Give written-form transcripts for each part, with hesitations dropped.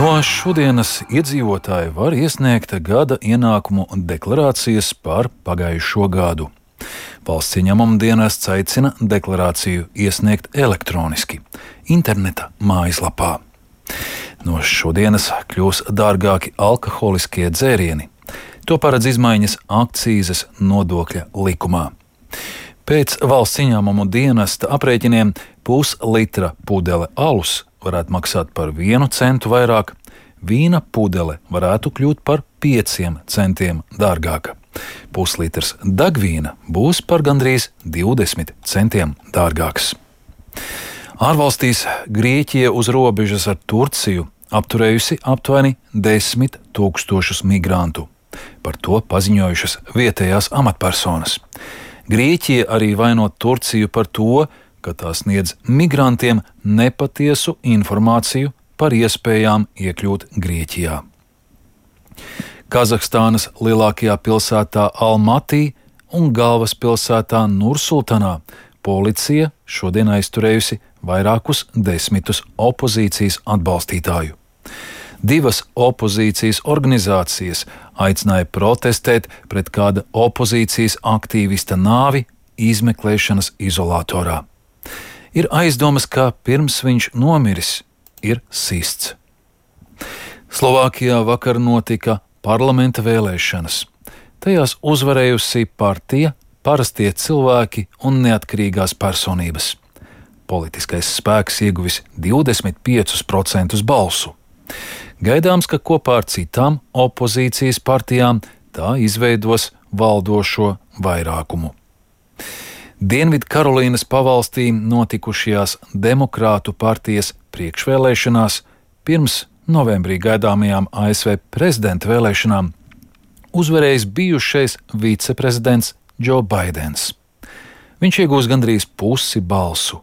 No šodienas iedzīvotāji var iesniegt gada ienākumu deklarācijas par pagājušo gadu. Valsts ieņēmuma dienests aicina deklarāciju iesniegt elektroniski, interneta mājaslapā. No šodienas kļūs dārgāki alkoholiskie dzērieni. To paredz izmaiņas akcīzes nodokļa likumā. Pēc valsts ieņēmuma dienesta aprēķiniem puslitra pudele alus varētu maksāt par 1 centu vairāk, vīna pudele varētu kļūt par 5 centiem dārgāka. Puslitrs degvīna būs par gandrīz 20 centiem dārgāks. Ārvalstīs Grieķija uz robežas ar Turciju apturējusi aptuveni 10 000 migrantu. Par to paziņojušas vietējās amatpersonas. Grieķija arī vaino Turciju par to, ka tā sniedz migrantiem nepatiesu informāciju par iespējām iekļūt Grieķijā. Kazahstānas lielākajā pilsētā Almatī un galvaspilsētā Nursultanā policija šodien aizturējusi vairākus 10 opozīcijas atbalstītāju. 2 opozīcijas organizācijas aicināja protestēt pret kāda opozīcijas aktīvista nāvi izmeklēšanas izolatorā. Ir aizdomas, ka pirms viņš nomiris, ir sists. Slovākijā vakar notika parlamenta vēlēšanas. Tajās uzvarējusi partija Parastie cilvēki un neatkarīgās personības. Politiskais spēks ieguvis 25% balsu. Gaidāms, ka kopā ar citām opozīcijas partijām tā izveidos valdošo vairākumu. Dienvidkarolīnas pavalstī notikušajās Demokrātu partijas priekšvēlēšanās pirms novembrī gaidāmajām ASV prezidenta vēlēšanām uzvarējis bijušais viceprezidents Džo Baidens. Viņš iegūs gandrīz pusi balsu.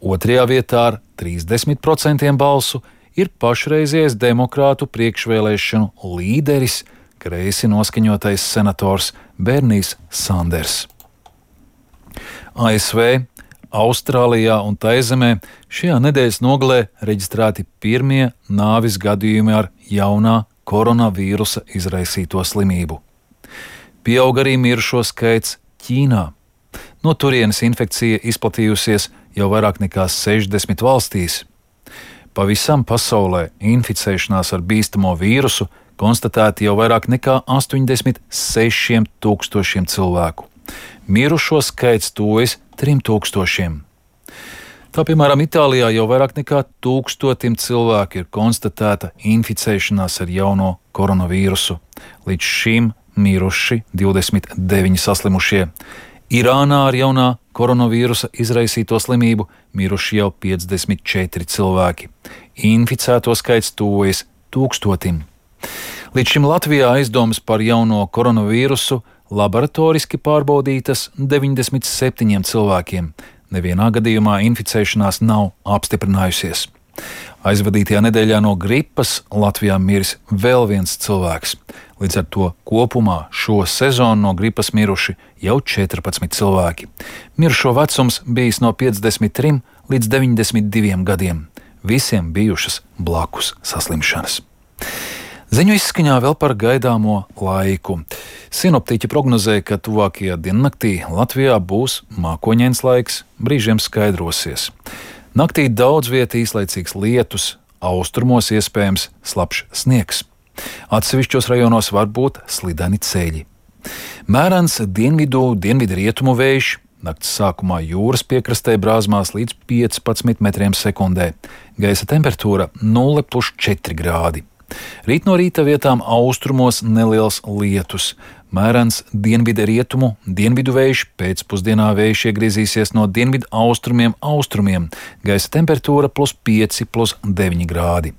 Otrajā vietā ar 30% balsu ir pašreizējais demokrātu priekšvēlēšanu līderis, kreisi noskaņotais senators Bernijs Sanders. ASV, Austrālijā un Taizemē šajā nedēļas nogalē reģistrēti pirmie nāvis gadījumi ar jaunā koronavīrusa izraisīto slimību. Pieaug arī mirušo skaits Ķīnā. No turienes infekcija izplatījusies jau vairāk nekā 60 valstīs. Pavisam pasaulē inficēšanās ar bīstamo vīrusu konstatēti jau vairāk nekā 86 000 cilvēku. Mirušo skaits tuvojas 3000. Tā, piemēram, Itālijā jau vairāk nekā 1000 cilvēku ir konstatēta inficēšanās ar jauno koronavīrusu. Līdz šim miruši 29 saslimušie. Irānā ar jaunā koronavīrusa izraisīto slimību miruši jau 54 cilvēki. Inficēto skaits tuvojas 1000. Līdz šim Latvijā aizdomas par jauno koronavīrusu laboratoriski pārbaudītas 97 cilvēkiem. Nevienā gadījumā inficēšanās nav apstiprinājusies. Aizvadītajā nedēļā no gripas Latvijā miris vēl viens cilvēks. Līdz ar to kopumā šo sezonu no gripas miruši jau 14 cilvēki. Mirušo vecums bijis no 53 līdz 92 gadiem. Visiem bijušas blakus saslimšanas. Ziņu izskaņā vēl par gaidāmo laiku. Sinoptiķi prognozē, ka tuvākajā diennaktī Latvijā būs mākoņains laiks, brīžiem skaidrosies. Naktī daudz vietā īslaicīgs lietus, austrumos iespējams slapjš sniegs. Atsevišķos rajonos var būt slideni ceļi. Mērens dienvidrietumu vējš, nakts sākumā jūras piekrastē brāzmās līdz 15 metriem sekundē. Gaisa temperatūra 0,4 grādi. Rīt no rīta vietām austrumos neliels lietus. Mērens dienvidu vējš, pēcpusdienā vējš iegriezīsies no dienvidu austrumiem. Gaisa temperatūra +5, +9 grādi.